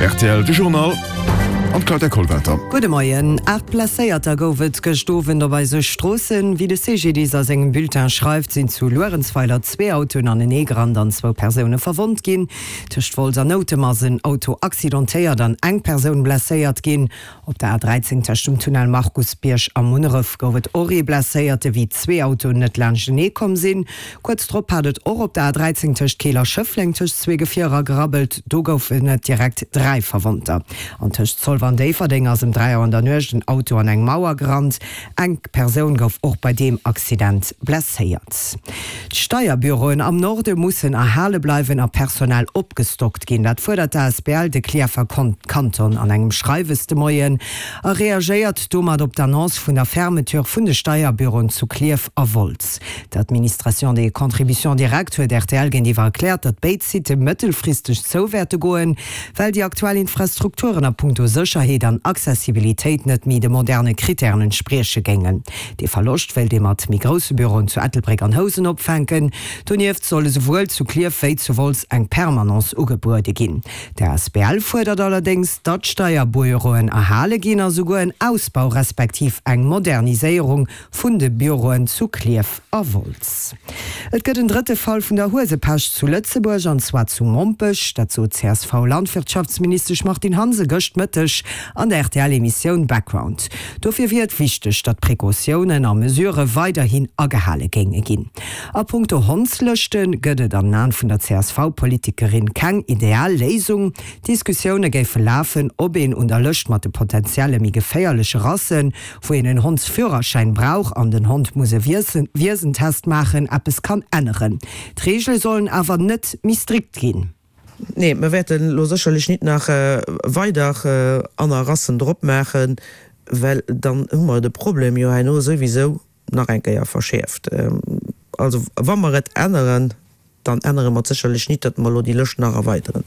Rtl, De Journal an d'Claudia Kollwelter. Gudde Moien. 8 Blesséierter gouf et gëscht Owend op eise Stroossen. Wéi de CGDIS a sengem Bulletin schreift, sinn zu Luerenzweiler zwee Autoen anenee gerannt an zwou Persoune verwonnt ginn. Tëscht Wolz an Noutem ass en Auto accidentéiert an eng Persoun blesséiert ginn. Op der A 13 tëscht dem Tunnel Markusbierg a Munneref gouf et och ee Blesséierte wéi zwee Autoen net laanschtenee komm sinn. Kuerz drop hat et och op der A 13 tëscht Keel a Schëffleng tëscht zwee Gefierer gerabbelt. Do goufen et direkt 3 Verwonnter. An tëscht Zolwer an Déifferdeng ass ëm 3 Auer an der Nuecht en Auto an eng Mauer gerannt. Eng Persoun gouf och bei deem Accident blesséiert. D'Steierbüroen am Norde mussen erhale bleiwen a personell opgestockt ginn. Dat fuerdert d'ASBL De Clierfer Kanton an engem Schreiwes de Moien a reagéiert domat op d'Annonce vun der Fermeture vun de Steierbüroen zu Klierf a Wolz. D'Administration des contributions directes huet rtl géintiwwer erkläert, datt béid Sitte mëttelfristeg zou wäerte goen, well déi aktuell Infrastrukturen a punkto Sécherheet an Accessibilitéit net méi de moderne Krittären entsprieche géingen. Dee Verloscht wéilt ee mat méi grousse Büroen zu Ettelbréck an Housen opfänken. Donieft soll esouwuel zu Klierf wéi zu Wolz eng Permanence ugebuede ginn. D'asbl fuerdert allerdéngs, datt d'Steierbueroen erhale ginn a souguer en Ausbau respektiv eng Moderniséierung vun de Büroen zu Klierf a Wolz. Et gëtt en drëtte Fall vun der Huesepescht zu Lëtzebuerg, an zwar zu Mompech. Dat sot d'CSV-Landwirtschaftsministesch Martine Hansen gëscht Mëtteg an der RTL-Emissioun Background. Dofir wier et wichteg, datt Precautiounen a Mesurë weiderhin agehale géinge ginn. A punkto Hondslëschte gëtt et an den Aen vun der CSV-Politikerin keng ideal Léisung. D'Diskussioune géife lafen, ob een un der Lëscht mat de potentielle méi geféierleche Rassen, wou een en Hondsführerschäin brauch an den Hond muss e Wiesentest maachen, eppes kann änneren. D'Reegele sollen awer net méi strikt ginn. Nee, mer wäerten elo sécherlech nit nach weider anner Rassen drop maachen, well dann hu mer de Problem jo herno souwisou nach eng Kéier verschäerft. Also wa mer et änneren, Dann ännere mer et sécherlech nit, datt mer elo déi Lëscht nach erweideren.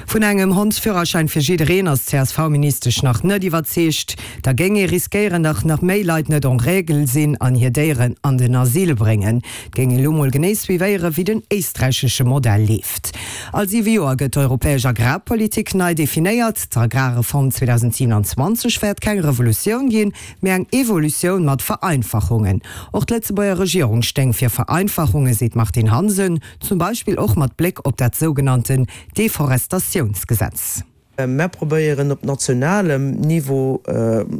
Vun engem Hondsführerschäin fir jiddereen ass d'CSV-Ministesch nach net iwwerzeegt. Da géing ee riskéieren, datt nach méi Leit net en règle sinn an hir Déieren an den Asyl bréngen. Et géing ee lo mol genee suivéieren, wéi den éisträichesche Modell leeft. All siwe Joer gëtt d'europäesch Agrarpolitik nei definéiert. D'Agrarreform 2027 wäert keng Revolutioun ginn, Mee eng Evolutioun mat Vereinfachungen. Och d'Lëtzebuerger Regierung stéing fir Vereinfachungen, seet d'Martine Hansen, zum Beispill och mat Bléck op dat sougenannten Deforestatiounsgesetz. Mer probéieren op nationalem Niveau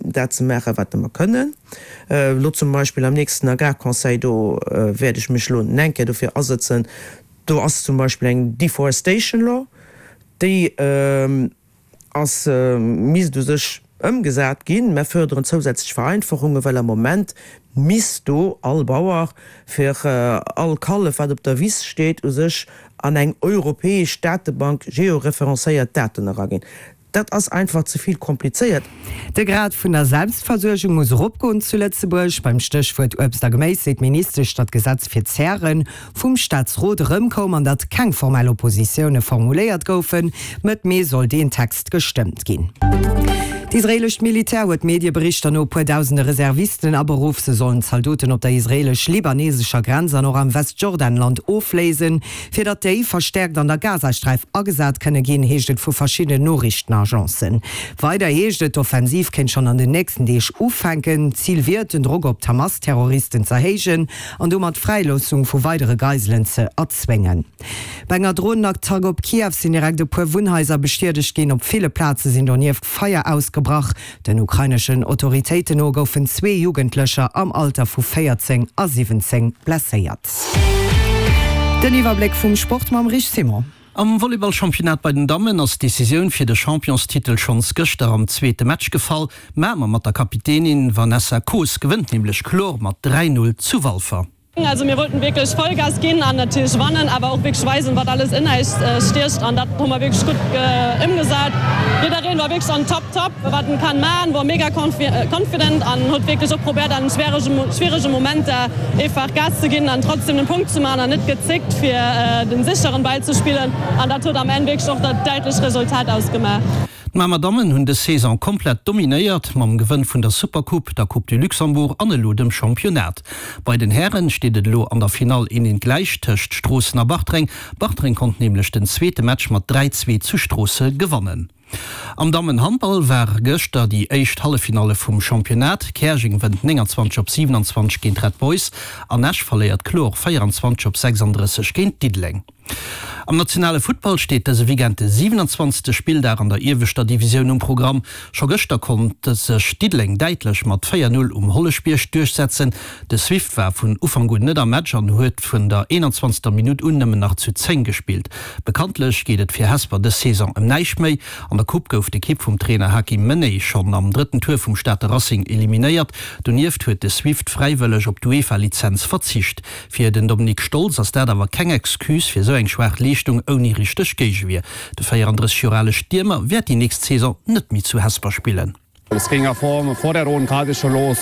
dat ze maachen, wat mer kënnen. Elo zum Beispill am nächsten Agrarconseil, do wäert ech mech elo eng Kéier dofir asëtzen, do ass zum Beispill eng Deforestation Law, déi, ass, misst u sech ëmgesat ginn. Mer förderen zousätzlech Vereinfachungen, well am Moment misst do all Bauer fir all Kallef, wat op der Wiss steet, u sech an eng europäesch Datebank georeferencéiert Daten eraginn. Dat ass einfach ze vill komplizéiert. De Grad vun der Selbstversuergung muss eropgoen zu Lëtzebuerg. Beim Stéchwuert Uebst a Geméis seet d'Ministesch, datt d'Gesetz fir d'Zären vum Staatsrot erëmkoum an datt keng formell Oppositioune formuléiert goufen. Mëtt Mee soll deen Text gestëmmt ginn. D'israeelescht Militär huet Medieberichter no e puer dausende Reservisten aberuff. Se sollen Zaldoten op der israeelesch-libanesescher Grenz an och am Westjordanland ofléisen, fir datt déi verstäerkt an der Gazasträif agesat kënne ginn, heescht et vu verschiddenen Noriichtenagencen. Weider heescht et, d'Offensiv kéint schonn an den nächsten Deeg ufänken. Zil wier et, den Drock op d'Hamas-Terroristen z'erhéijen an domat d'Fräiloossung vu weidere Geiselen ze erzwéngen. Bei enger Dronenattack op Kiew sinn direkt e puer Wunnhaiser beschiedegt ginn. Op ville Plaze sinn donieft Feier ausgebrach. Den ukraineschen Autoritéiten no goufen zwee Jugendlecher am Alter vu 14 a 17 blesséiert. Den Iwwerbléck vum Sport mam Rich Simon. Am Volleyball-Championnat bei den Dammen ass d'Decisioun fir de Championstitel schonns gëschter am zweete Match gefall. Mamer mat der Kapitänin Vanessa Koos gewënnt nämlech kloer mat 3, 0 zu Walfer. Also mir wollten wierklech Vollgas ginn an natierlech wannen, awer och wierklech weisen, wat alles in eis stiecht an dat hu mer wierklech gutt ëmgesat. Jiddereen war wierklech an top top, wat en kann maachen, wor mega confident an huet wierklech och probéiert an schwierege Momenter eefach Gas ze ginn an trotzdem den Punkt ze maachen an net gezéckt fir den sécheren Ball ze spillen an dat huet am Enn wierklech och dat däitlecht Resultat ausgemaach. D'Mamer Dammen hunn dës Saison komplett dominéiert, mam Gewënn vun der Supercoupe, der Coupe du Luxembourg an elo dem Championnat. Bei den Hären steet et elo an der Finall een eent gläich tëscht Stroossen a Bartreng. Bartreng konnt nämlech den zweete Match mat 3, 2 zu Stroosse gewannen. Am Dammenhandball war gëschter déi éischt Halleffinalle vum Championnat. Käerjeng wënnt 29 op 27 géint Red Boys an Esch verléiert kloer 24 op 36 géint Diddeleng. Am nationale Futtball steet dëse Weekend de 27. Spilldag an der ieweschter Divisioun um Programm. Scho gëschter konnt sech Diddeleng däitlech mat 4, 0 um Holleschbierg duerchsetzen. De Swift war vun Ufank un net am Match an huet vun der 21. Minutt un nëmmen nach zu 10 gespillt. Bekanntlech geet et fir Hesper dës Saison ëm näischt méi. An der Coupe gouf d'Ekipp vum Trainer Hakim Meney schonn am drëtten Tour vum Stater Racing eliminéiert. Donieft huet de Swift fräiwëlleg op d'UEFA-Lizenz verzicht. Fir den Dominik Stolz ass dat awer keng Excuse fir esou eng schwaach Leeschtung ouni richteg Géigewier. De 34 Joer ale Stiermer wäert déi nächst Saison net méi zu Hesper spillen. Es ging ja vor, vor der roten Karte schon los.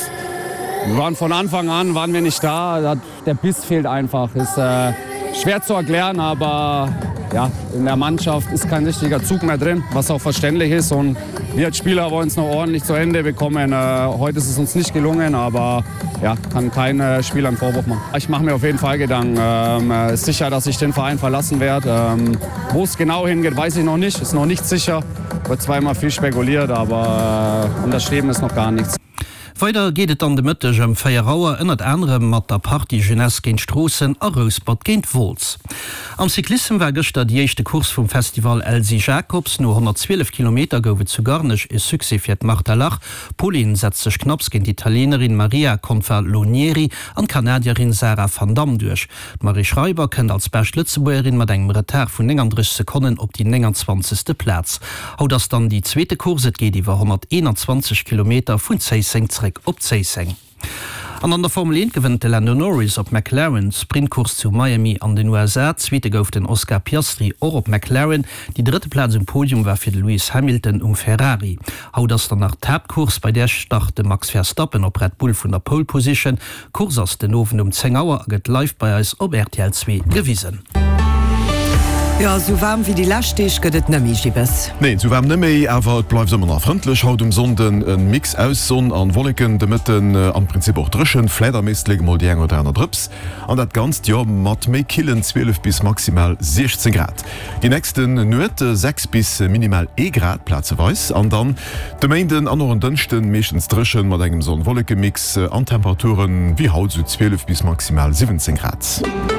Wir waren von Anfang an waren wir nicht da. Der Biss fehlt einfach. Ist äh, schwer zu erklären, aber ja, in der Mannschaft ist kein richtiger Zug mehr drin, was auch verständlich ist und wir als Spieler wollen es noch ordentlich zu Ende bekommen. Äh, heute ist es uns nicht gelungen, aber ja, kann kein äh, Spieler einen Vorwurf machen. Ich mache mir auf jeden Fall Gedanken. Ähm, äh, sicher, dass ich den Verein verlassen werde. Ähm, wo es genau hingeht, weiß ich noch nicht. Ist noch nicht sicher. Wird zwar immer viel spekuliert, aber äh, unterschrieben ist noch gar nichts. Weider geet et dann de Mëtteg ëm 4 Auer ënnert anerem mat der Partie Jeunesse géint Stroossen a Rouspert géint Wolz. Am Cyclissem war gëschter déi éischte Course vum Festival Elsy Jacobs. No 112 Kilometer gouf et zu Garnech e Succès fir d'Marta Lach. D'Polin setzt sech knapps géint d'Italienerin Maria Confalonieri an d'Kanadierin Sarah Van Dam duerch. D'Marie Schreiber kënnt als bescht Lëtzebuergerin mat engem Retard vun 39 Sekonnen op déi 29. Plaz. Haut ass dann déi zweete Course, et geet iwwer 121 Kilometer vun Zéisseng zréck op Zéisseng. An an der Formel 1 gewënnt de Lando Norris op McLaren d'Sprintcourse zu Miami an den USA. Zweete gouf den Oscar Piastri och op McLaren. Déi drëtte Plaz um Podium war fir de Lewis Hamilton um Ferrari. Haut ass dann nach d'Haaptcourse, bei där start de Max Verstappen op Red Bull vun der Pole Position. D'Course ass den Owend um 10 Auer a gëtt live bei eis op rtl 2 gewisen. Jo, esou waarm wéi déi lescht Deeg gëtt et nëmmi, Gibbes. Nee, esou waarm nëmméi, awer et bleift ëmmer nach frëndlech haut um Sonnden. E Mix aus Sonn an Wolleken, de Mëtten am Prinzip och dréchen, vläit am Éislek emol déi eng oder aner Drëps. An dat Ganzt, jo, mat méi killen 12 bis maximal 16 Grad. Déi nächste Nuet 6 bis minimal ee Grad plazeweis an dann de Méinden an och en Dënschden meeschtens dréchen mat engem Sonn-Wolleke-Mix an Temperaturen wéi haut sou 12 bis maximal 17 Grad.